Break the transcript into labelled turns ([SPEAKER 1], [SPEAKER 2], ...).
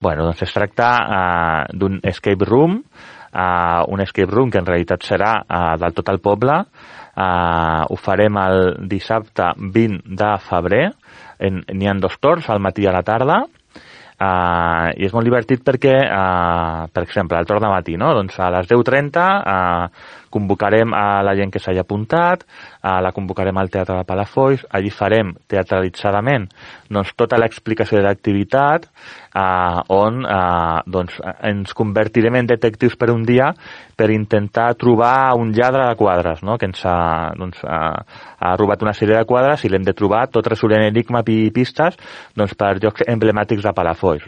[SPEAKER 1] Bueno, doncs es tracta d'un escape room, un escape room que en realitat serà del tot el poble. Ho farem el dissabte 20 de febrer. N'hi ha 2 torns, al matí i a la tarda. I és molt divertit perquè, per exemple, el torn de matí, no? Doncs a les 10:30 convocarem a la gent que s'hagi apuntat, la convocarem al Teatre de Palafolls, allí farem teatralitzadament doncs, tota l'explicació de l'activitat, on doncs, ens convertirem en detectius per un dia per intentar trobar un lladre de quadres, no? Que ens ha robat una sèrie de quadres i l'hem de trobar tot resolent enigma i pistes doncs, per llocs emblemàtics de Palafolls.